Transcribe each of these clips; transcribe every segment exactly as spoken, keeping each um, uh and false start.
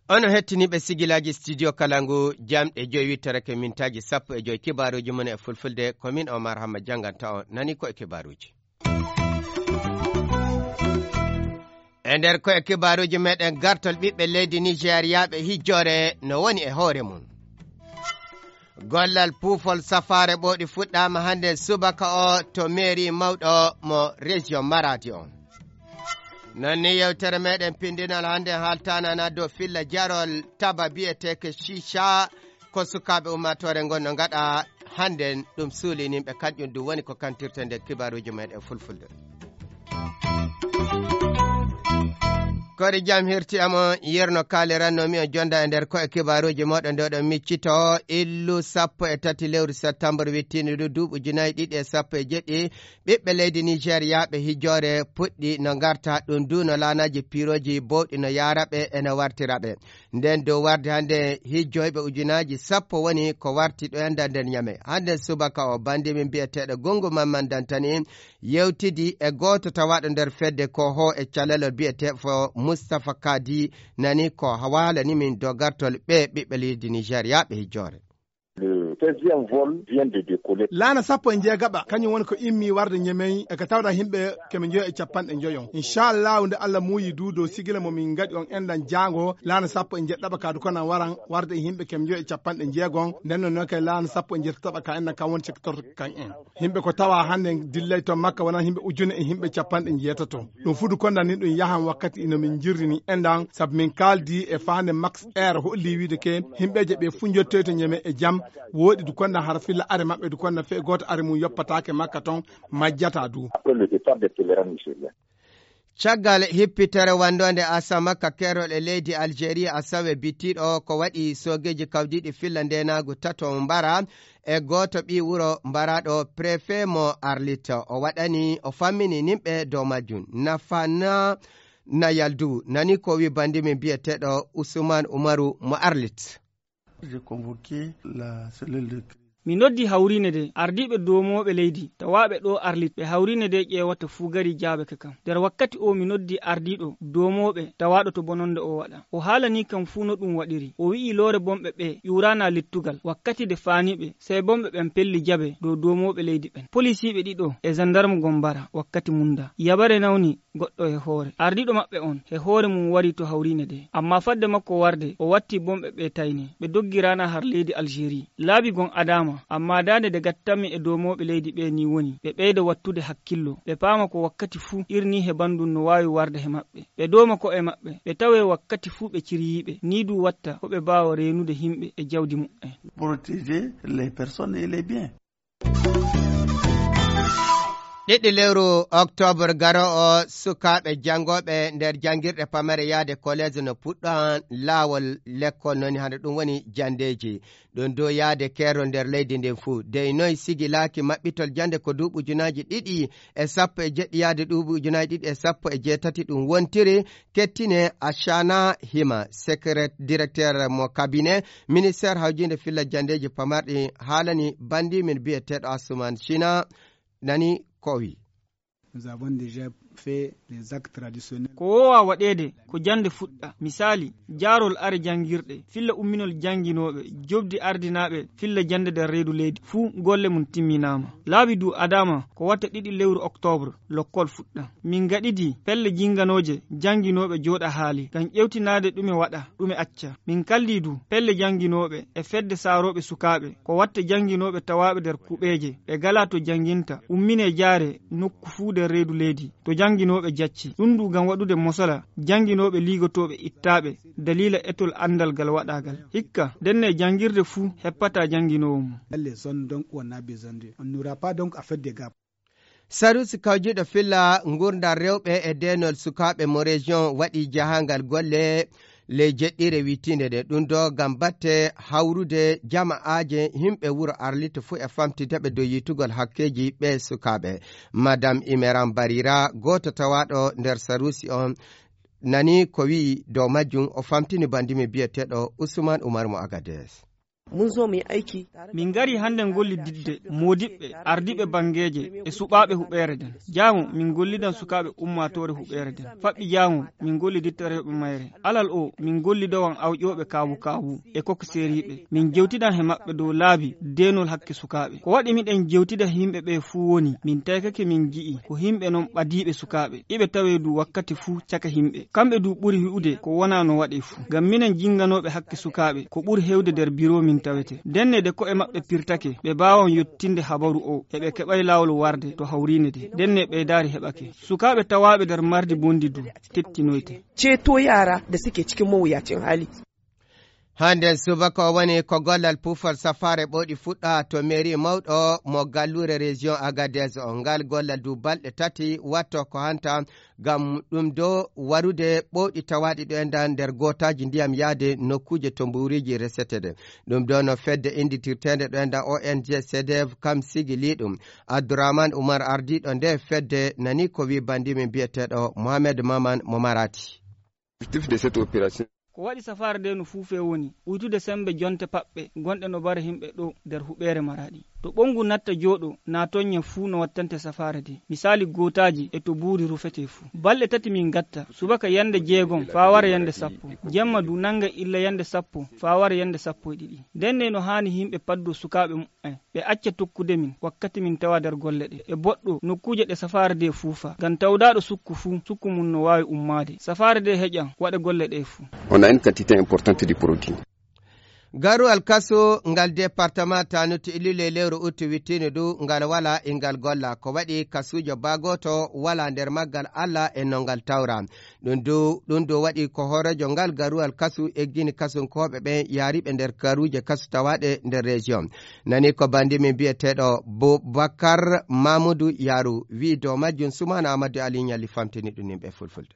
Onon hettiniiɓe sigilaaji Studio Kalangu, jamɗe joyi wittorake mintaaji sappo e joyi, kibaaruuji mon e fulfulde, ko min Omar Hamma jannganta on. Nani ko e kibaaruuji. E nder ko e kibaaruuji meɗen, gartol ɓiɓɓe leydi Nijeriyaaɓe hijjoore no woni e hoore mum. Gollal puufol safaare ɓooɗi fuɗɗaama hannde subaka o to meeri mawɗo mo région Maradi on. Non ni yewtere meɗen pindinal hannde haaltanana dow filla jarol taba biyeteeke shisha ko sukaaɓe ummaatoore ngon no ngaɗa hannde ɗum suulinimɓe kanƴum ɗum woni ko kantirte nder kibaaruuji meɗen fulfulde. Kori jam hirti amo yerno kaaliranno mi on jonda e nder ko e kibaaruuji moɗon ɗo ɗon miccito illu sappo e tati lewru septembre wittiinde ɗo duuɓi ujunaaji ɗiɗi e sappo e jeɗɗi. Ɓiɓɓe leydi Nijeriyaaɓe hijoore puɗɗi no ngarta ɗum du no laanaaji piirooji bowɗi no yaara ɓe e no wartira ɓe. Nden dow warde hannde hijjoyɓe ujunaaji sappo woni ko warti ɗo enda nder Ñame. Hannde subaka o bandi min biyeteeɗo Gongo Mamman Dantani yewtidi e gooto tawaaɗo nder fedde ko ho e calalol biyetee fo Mustapha Kadi nani ko hawaalani min dogartol ɓe ɓiɓɓe leydi Nijeriyaaɓe hijjoore. Le seizième vol vient de décoller. Laana sappo e njeegaɓa, kañum woni ko immi warde Ñemey, e ka tawata yimɓe keme njoyo e capanɗe njoyo. Inchallahu, nde Allah muuyi du dow sigila mo min ngaɗi on enɗan jaango, laana sappo e njeɗɗaɓa ka du konan waran warde e yimɓe keme njoyo e capanɗe njeegon, nden non noon kay laana sappo e njeɗɗaɓa ka enɗan kan woni cektorto kan en. Yimɓe ko tawa hannde dillay to Makka wonan yimɓe ujune e yimɓe capanɗe njeetato. Ɗum fudu konda ni ɗum yahan wakkati ino min jirrini enɗan, sabu min kaaldi e faande Max Air holli wiide ke yimɓeeje ɓe fu njottoy to Ñeme e jam, wooɗi du konda hara filla are maɓɓe du konda fee gooto are mum yoppataake Makka ton, majjata du. Après le départ des pèlerins nigériens. Caggal hippitere wanndoonde Asama ka keerol e leydi Algérie, Asawe bittiiɗo, ko waɗi soogeeji kawdiiɗi filla ndeenaagu tato mbara e gooto ɓii wuro mbaraaɗo préfet mo Arlit. O waɗani, o fammini nimɓe dow majjum. Nafana Nayaldu nani ko wi bandi min biyeteeɗo Usman Umaru mo Arlit. J'ai convoqué la cellule de crise. Mi noddi hawriine de ardiiɓe doomooɓe leydi tawaaɓe ɗo Arlit, ɓe hawriine de ƴeewata fuu gari jaabe ka kam. Nder wakkati o mi noddi ardiiɗo doomooɓe tawaaɗo to bononde o waɗa. O haalani kam fuu no ɗum waɗiri. O wi'i loore bonɓe ɓe ƴuuraana lettugal. Wakkati de faaniiɓe, sey bonɓe ɓen pelli jabe dow doomooɓe leydi ɓen. Polisiiɓe ɗiɗo e zandarmu gon mbara wakkati mum da. Yabare nawni goɗɗo he hoore. Ardiiɗo maɓɓe on he hoore mum wari to hawriine de. Ammaa fadde makko warde, o watti bonɓe ɓe tayne. Ɓe doggi raana har leydi Algérie. Laabi gon adaama, ammaa daande de gattanmi e doomooɓe leydi ɓe ni woni, ɓe ɓeyda wattude hakkillo. Ɓe paama ko wakkati fuu irni he banndum no waawi warde he maɓɓe. Ɓe dooma ko'e maɓɓe. Ɓe tawee wakkati fuu ɓe ciryiiɓe. Nii du watta ko ɓe baawa reenude himɓe e jawdi muɓɓen. Protéger les personnes et les biens. Ɗiɗi lewru oktoobar garo o, sukaaɓe janngooɓe nder janngirɗe pamare yahde kolees no puɗɗo laawol lekkol, noni hande ɗum woni janndeeji. Ɗum dow yahde keerol nder leydi ndin fuu. Dey noy sigilaaki maɓɓitol jannde ko duuɓi ujunaaji ɗiɗi e sappo e jeɗɗi yahde duuɓi ujunaaji ɗiɗi e sappo e jeetati ɗum wontiri, kettine Ashana Hima, secret-, directeur mo cabinet ministère hawjinde filla janndeeji pamarɗi, haalani banndi min biyeteeɗo Asuman Shina, nani ko o wi. Nous avons déjà fait les actes traditionnels. Ko woowa waɗeede ko jannde fuɗɗa. Misaali, jaarol are janngirɗe, filla umminol jannginooɓe, jobdi ardinaaɓe, filla jannde nder reedu leydi. Fuu golle mum timminaama. Laabi du adaama ko watta ɗiɗi lewru oktoobre, lokkol fuɗɗa. Min ngaɗidi pelle jinnganooje jannginooɓe jooɗa haali, ngam ƴewtinaade ɗume waɗa, ɗume acca. Min kaldi du pelle jannginooɓe e fedde saarooɓe sukaaɓe, ko watta jannginooɓe tawaaɓe nder kuɓeeje, ɓe ngalaa to jannginta, umminee jaare nokku fuu nder reedu leydi, to jannginooɓe jacci. Ɗum du ngam waɗude mosola jannginooɓe liigotooɓe ittaaɓe daliila etol anndal ngal waɗaagal. Hikka, ndenne janngirde fuu heppataa jannginoowo mum. Dans les zones donc où on a besoin de, on n'aura pas donc à faire des gaps. Sarusi kawjiiɗo filla ngurdam rewɓe e deenol sukaaɓe mo région waɗi jahangal golle ley jeɗɗire wittiinde nde. Ɗum ɗo ngam batte hawrude jama'aaje yimɓe wuro Arlit fuu e famtinde ɓe dow yiytugol hakkeeji ɓe sukaaɓe. Madame Imeran Barira, gooto tawaaɗo nder sarusi on, nani ko wi'i dow majjum, o famtini banndi mi biyeteeɗo Usman Umar mo Agades. Mun zo mu yi aiki. Min ngari hannden ngollididde moodiɓɓe, ardiiɓe banngeeje e suɓaaɓe huɓeere nden. Jaango min ngollidan sukaaɓe ummaatoore huɓeere nden. Faɓɓi jaango min ngolliditta rewɓe mayre. Alal o min ngollidowan awƴooɓe kaawu-kaawu e kokiseeriiɓe. Min jewtidan he maɓɓe dow laabi deenol hakke sukaaɓe. Ko waɗi miɗen jewtida he yimɓe ɓee fuu woni, min taykake min ji'i ko yimɓe non ɓadiiɓe sukaaɓe. Iɓe tawee du wakkati fuu caka yimɓe. Kamɓe du ɓuri wi'ude ko wonaa no waɗee fuu. Ngam minen jinnganooɓe hakke sukaaɓe, ko ɓuri heewde nder biro min tawete. Ndenne de ko'e maɓɓe pirtake, ɓe baawan yottinde habaru o, e ɓe keɓay laawol warde to hawriine de. Ndenne ɓeydaari heɓake. Sukaaɓe tawaaɓe nder mardi bonndi du tettinoyte. Ceto yara da suke cikin mawuyacin hali. Hande subaka o woni ko gollal pufol safaare ɓooɗi fuɗɗa to mairie mawɗo mo galluure région Agadez o. Ngal gollal du balɗe tati watto ko hanta ngam ɗum do warude ɓooɗi tawaaɗi ɗo e nda nder gootaaji ndiyam yaade nokkuuje to mbuuriiji resetede. Ɗum do no fedde innditirteende ɗo e nda O N G CDF kam sigili ɗum. Abdourahmane Oumar ardiiɗo nde fedde nani ko wi banndi min biyeteeɗo Mohamed Maman mo Marati. Objectif de cette opération. Ko waɗi safaare nde no fuufee woni uytude semmbe jonte paɓɓe gonɗe no mbara yimɓe ɗo nder huɓeere Maraɗi. To ɓonngu natta jooɗo naa tonña fuu no wattante safaare nde. Misaali gootaaji e to buuri rufetee fuu. Balɗe tati min ngatta, subaka yannde jeegom faa wara yannde sappo. Jemma du nannga illa yannde sappo faa wara yannde sappo e ɗiɗi. Ndenne no haani yimɓe paddoo sukaaɓe muɓɓen. Ɓe acca tokkude min wakkati min tawa nder golle ɗe. E boɗɗo nokkuuje ɗe safaare nde fuufa. Ngam tawdaaɗo sukku fuu, sukku mum no waawi ummaade. Safaare nde heƴan waɗa golle ɗe fuu. On a une quantité importante de produit. Garuwal kaso ngal département Tanut Ilule lewru uttu wittino du ngal wala ingal golla. Ko waɗi kasuujo baa gooto wala nder maggal Allah e no ngal tawra. Ɗum dow, ɗum dow waɗi ko hooreejo ngal garuwal kasu eggini kasunkooɓe ɓen yaariɓe nder garuuje kasu tawaaɗe nder région. Nani ko banndi min biyeteeɗo Boubacar Mamoudou Yarou wi'i dow majjum. Soumana Amadou Ali Ɲalli famtini ɗum yimɓe fulfulde.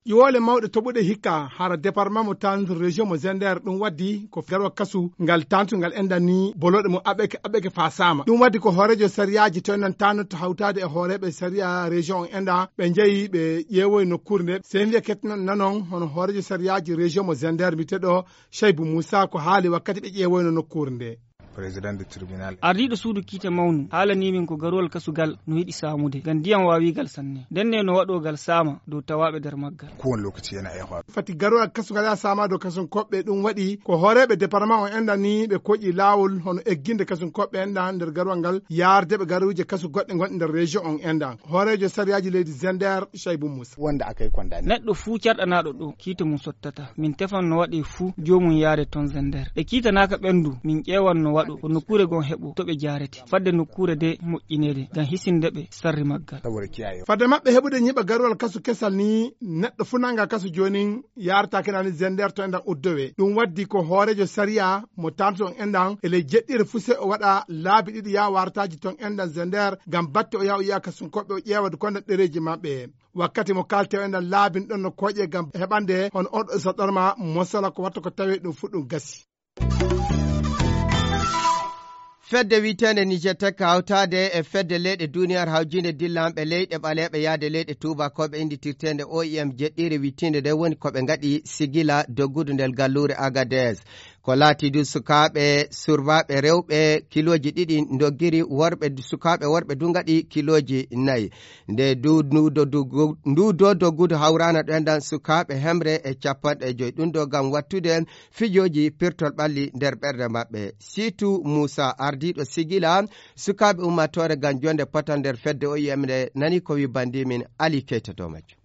Ƴiwoole mawɗe toɓuɗe hikka hara département mo Tanut région mo Zender ɗum waddi ko garuwal kasu ngal Tanut ngal enɗan ni bolooɗe mum aɓɓeke aɓɓeke faa saama. Ɗum waddi ko hooreejo sariyaaji to enɗan Tanut hawtaade e hooreeɓe sariya région on enɗan ɓe njehi ɓe ƴeewoyi nokkuure nde. Sey mbiya kettinon nanon hono hooreejo sariyaaji région mo Zender mbiyeteeɗo Shaibou Moussa ko haali wakkati ɓe ƴeewoyno nokkuure nde. Président du tribunal. Ardiiɗo suudu kiite mawnu haalanii min ko garuwal kasu gal no yiɗi saamude ngam ndiyam waawi gal sanne. Ndenne no waɗoo gal saama dow tawaaɓe nder maggal. Kowane lokaci yana iya faruwa. Fati garuwal kasu ngal yaa saama dow kasunkooɓe ɗum waɗi ko hooreeɓe département on enɗan ni ɓe koƴi laawol hono egginde kasunkooɓe enɗan nder garuwal ngal yaarde ɓe garuuje kasu goɗɗe gonɗe nder région on enɗan. Hooreejo sariyaaji leydi Zender Shaibou Moussa. Wanda aka yi condamné. Neɗɗo fuu carɗanaaɗo ɗo kiite mum sottata. Min tefan no waɗee fuu joomum yaade ton Zender. Ɓe kiitanaaka ɓen du min ƴeewan no waɗoo ko nokkuure gon heɓoo to ɓe jaarete fadde nokkuure de moƴƴineede ngam hisinde ɓe sarri maggal. Saboda kiyaye. Fadde maɓɓe heɓude ñiɓa garuwal kasu kesal ni neɗɗo fuu nanga kasu joonin yaarata kinani Zender to enɗan uddowe. Ɗum waddi ko hooreejo sariya mo Tanut on enɗan e ley jeɗɗire fuu sey o waɗa laabi ɗiɗi yaa waarataaji ton enɗan Zender ngam batte o yaa o yi'a kasunkooɓe o ƴeewa du konda ɗereeji maɓɓe. Wakkati mo kaalte o enɗan laabin ɗon no kooƴe ngam heɓande hono on ɗo saɗɗorma mosala ko watta ko tawee ɗum fuu ɗum gasi. Fedde wiyeteende Niger Tech hawtaade e fedde leyɗe duniyaaru hawjiinde dillanɓe leyɗe ɓaleeɓe yaade leyɗe tuubakooɓe innditirteende O I M jeɗɗiire wiyeteende nde woni ko ɓe ngaɗi sigila doggudu nder galluure Agadez. Ko laati du sukaaɓe surbaaɓe rewɓe kilooji ɗiɗi ndoggiri worɓe sukaaɓe worɓe du ngaɗi kilooji nayi. Nde du ndu do doggu- ndu do doggudu hawraana ɗo enɗan sukaaɓe hemre e capanɗe joyi. Ɗum ɗo ngam wattude fijooji pirtol ɓalli nder ɓerɗe maɓɓe. Siitu Muusa ardiiɗo sigila sukaaɓe ummaatoore ngam jonde potal nder fedde O I M nde nani ko wi banndi min Ali Keyta dow majjum.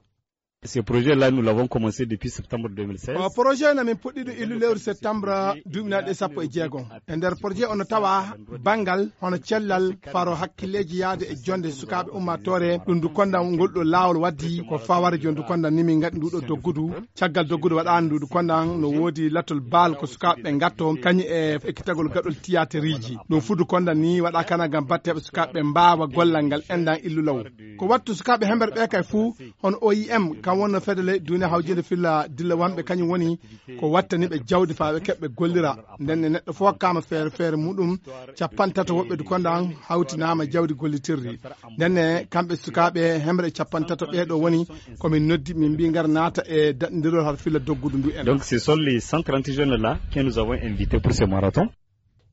Ce projet-là, nous l'avons commencé depuis septembre deux mille seize. O projet na min puɗɗiɗo illu lewru septembre duuɓi nayi ɗe sappo e jeegom. E nder projet o no tawa banngal hono cellal faro hakkilleeji yaade e jonde sukaaɓe ummaatoore. Ɗum du kondan ngol ɗo laawol waddi ko faware jon du kondan ni min ngaɗi nduɗo doggudu. Caggal doggudu waɗaani nduɗu kondan no woodi lattol baal ko sukaaɓe ɓe ngatto kañum e ekkitagol gaɗol tiyaateriji. Ɗum fudu kondan ni waɗa kana ngam batteɓe sukaaɓe mbaawa gollal ngal endan illu law. Ko wattu sukaaɓe hember ɓe kay fuu hono O I M kam wonno fedde ley duniya hawjinde filla dilla wonɓe kañum woni ko wattani ɓe jawdi faa ɓe keɓɓe gollira. Nden ne neɗɗo fof hokkaama feere feere muɗum capanɗe tato woɓɓe du kondan hawtinaama jawdi gollitirdi. Nden ne kamɓe sukaaɓe hemre capanɗe tato ɓee ɗo woni ko min noddi min mbi ngar naata e daɗndirol har filla doggudu ndu en. Donc ce sont les cent trente jeunes là que nous avons invités pour ce marathon.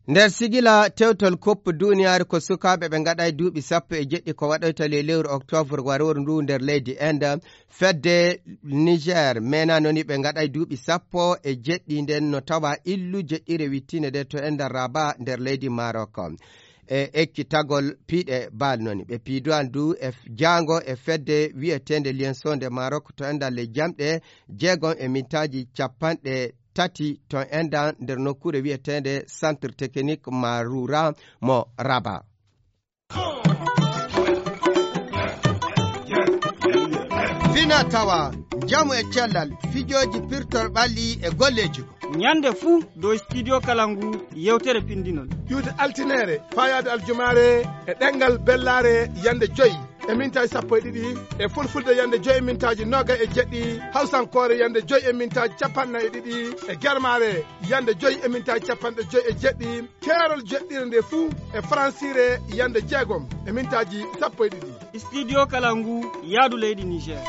Nder sigila tewtol Coupe duniyaaru ko sukaaɓe ɓe ngaɗay duuɓi sappo e jeɗɗi ko waɗoyta le lewru octobre warooru ndu nder leydi Inde. Fedde Niger mena noni ɓe ngaɗay duuɓi sappo e jeɗɗi nden no tawa illu jeɗɗire wittine de to Inde Rabat nder leydi Maroc. E ekkitagol piiɗe bal noni. Ɓe piiduwan du e f-, jaango e fedde wi'eteende Lienso nde Maroc to Inde le jamɗe jeegom e mintaaji capanɗe tati ton endan nder nokkuure wi'eteende Centre Technique Maroura mo Rabat. Fina tawa, njamu e cellal, fijooji pirtol ɓalli e golleeji ko. Ñande fuu dow Studio Kalangu yewtere pindinol. Iwde altiniere, faayaade aljumaare e ɗemngal bellaare yande joy e mintaaji sappo e ɗiɗi, e fulfulde yande joy e mintaaji noogay e jeɗɗi, hawsankoore yande joy e mintaaji capanɗe nayi e ɗiɗi, e germaare yande joy e mintaaji capanɗe joy e jeɗɗi, keerol jeɗɗire nde fuu e faransiire yande jeegom e mintaaji sappo e ɗiɗi. Studio Kalangu, yaadu leydi Niger.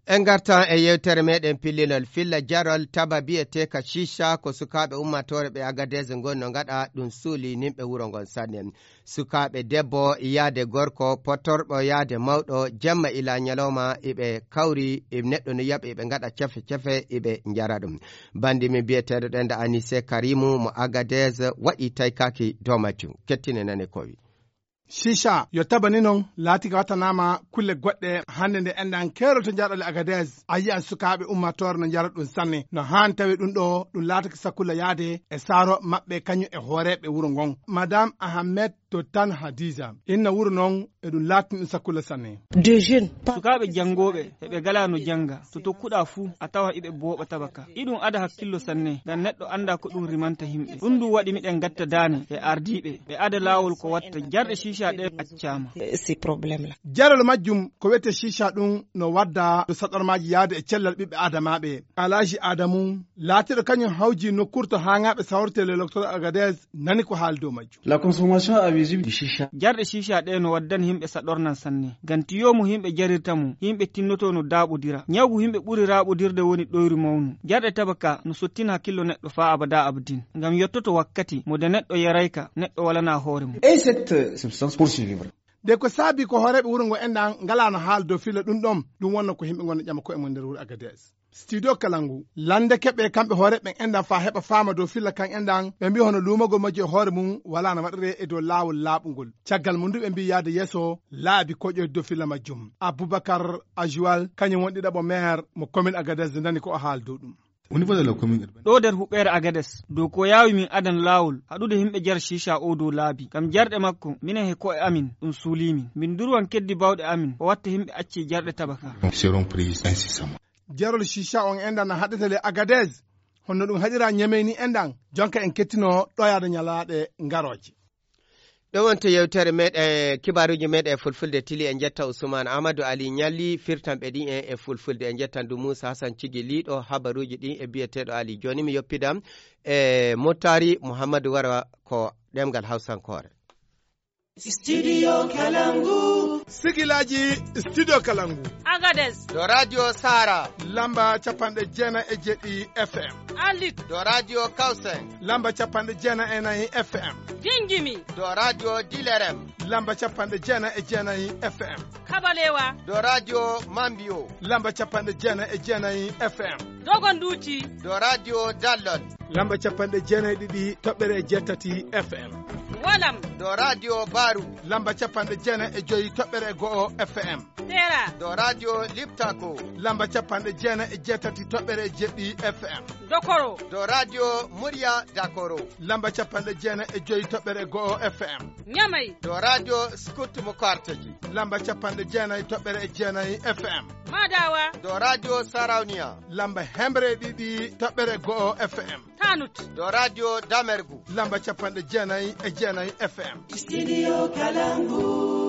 En ngartan e yewtere meɗen pillinol filla jarol taba biyeteeka shisha ko sukaaɓe ummaatoore ɓe Agadez ngon no ngaɗa ɗum suuli nimɓe wuro ngon sanne. Sukaaɓe debbo yaade gorko, potorɗo yaade mawɗo, jemma ila ñalawma iɓe kawri, e neɗɗo no yaɓa iɓe ngaɗa cefe cefe iɓe njara ɗum. Bandi min biyeteeɗo ɗen da Anise Karimu mo Agadez waɗi taykaaki dow majjum. Kettine nane kowi. Shisha yo tabani non laati ka wattanaama kulle goɗɗe hannde nde enɗan keerol to njaɗole Agadez. A yi'an sukaaɓe ummaatoore no njara ɗum sanne. No haan tawi ɗum ɗo ɗum laatake sakulla yaade e saaro maɓɓe kañum e hooreeɓe wuro ngon. Madame Ahmed to tan Hadiza. Inna wuro non e ɗum laatini ɗum sakulla sanne. Des jeunes. Sukaaɓe janngooɓe e ɓe galaa no jannga. To tokkuɗaa fuu, a tawa iɓe booɓa tabaka. Iɗum ada hakkillo sanne, ngam neɗɗo anndaa ko ɗum rimanta yimɓe. Ɗum ɗum waɗi miɗen ngatta daane e ardiiɓe, ɓe ada laawol ko watta jarɗe shisha ɗe accaama. C'est problème là. Jarol majjum ko wiyetee shisha ɗum no wadda to saɗormaaji yaade e cellal ɓiɓɓe Aadamaaɓe. Alaaji Aadamu, laatiiɗo kañum hawji nokkuure to haaŋaaɓe sawrete le docteur Agadez, nani ko haali dow majjum. La consommation abusive du shisha. Jarɗe shisha ɗe no waddani yimɓe saɗornan sanne. Ngam tiyo mo yimɓe jarirta mo, yimɓe tinnoto no daaɓodira. Ñawgu yimɓe ɓuri raaɓodirde woni ɗoyru mawnu. Jarɗe tabaka no sottina hakkillo neɗɗo faa abada abadin. Ngam yottoto wakkati mo de neɗɗo yarayka, neɗɗo walanaa hoore mum. Et cette, euh, substance pour survivre. De ko saabi ko hooreeɓe wuro ngo enɗan ngalaano haala dow filla ɗum ɗon, ɗum wonno ko yimɓe ngonno ƴama koye mum nder wuro Agadez. Studio Kalangu, lande keɓe kamɓe hooreeɓe ɓen enɗan faa heɓa faama dow filla kan enɗan, ɓe mbiya hono luumagol majji e hoore mum walaano waɗiree e dow laawol laaɓungol. Caggal mum du ɓe mbiya yaade yeeso laabi koƴoyde dow filla majjum. Abubakar Ajuwal, kañum woni ɗiɗaɓo maire mo commune Agadez, nani ko o haali dow ɗum. Au niveau de la commune urbaine. Ɗo nder huɓeere Agades, dow ko yaawi min adan laawol haɗude yimɓe jara shisha o dow laabi. Ngam jarɗe makko, minen he ko'e amin, ɗum suulii min. Min durwan keddi baawɗe amin, ko watta yimɓe acci jarɗe tabaka. Seront prises incessamment. Jarol shisha on enɗan na haɗetele Agades, honno ɗum haɗira Ñamey ni enɗan, jonka en kettino ɗoyaade ñalaaɗe ngarooje. Ɗo wonto yewtere meɗen, kibaaruuji meɗen e fulfulde tili. En njetta Ousmane Amadou Ali Ñalli, firtanɓe ɗin en e fulfulde. En njettan du Moussa Hassan Cigi Liɗo, habaruuji ɗin e biyeteeɗo Ali. Jooni mi yoppidam e Mottari Mouhamadou Wara ko ɗemngal Hawsankoore. Studio Kalangu. Sigilaaji Studio Kalangu. Agades. Ɗo Radio Sara. Lamba capanɗe jeenayi e jeɗɗi F M. Arlit. Ɗo Radio Kausen. Lamba capanɗe jeenayi e nayi F M. Gingimi. Ɗo Radio Dilerem. Lamba capanɗe jeenayi e jeenayi F M. Kabalewa. Ɗo Radio Mambio. Lamba capanɗe jeenayi e jeenayi F M. Dogonduuti. Ɗo Radio Dallol. Lamba capanɗe jeenayi e ɗiɗi toɓɓere e jeetati F M. Walam. Ɗo Radio Baru. Lamba capanɗe jeenayi e joyi toɓɓere e go'o F M. Sera. Ɗo Radio Liptako. Lamba capanɗe jeenayi e jeetati toɓɓere e jeɗɗi F M. Dokoro. Ɗo Radio Murya Dakoro. Lamba capanɗe jeenayi e joyi toɓɓere e go'o F M. Ñamay. Ɗo Radio Scout mo Karteji. Lamba capanɗe jeenayi toɓɓere e jeenayi F M. Madawa. Ɗo Radio Sarauniya. Lamba hemre e ɗiɗi toɓɓere e go'o F M. Tanut. Ɗo Radio Damergu. Lamba capanɗe jeenayi e jeenayi F M. Studio Kalangu.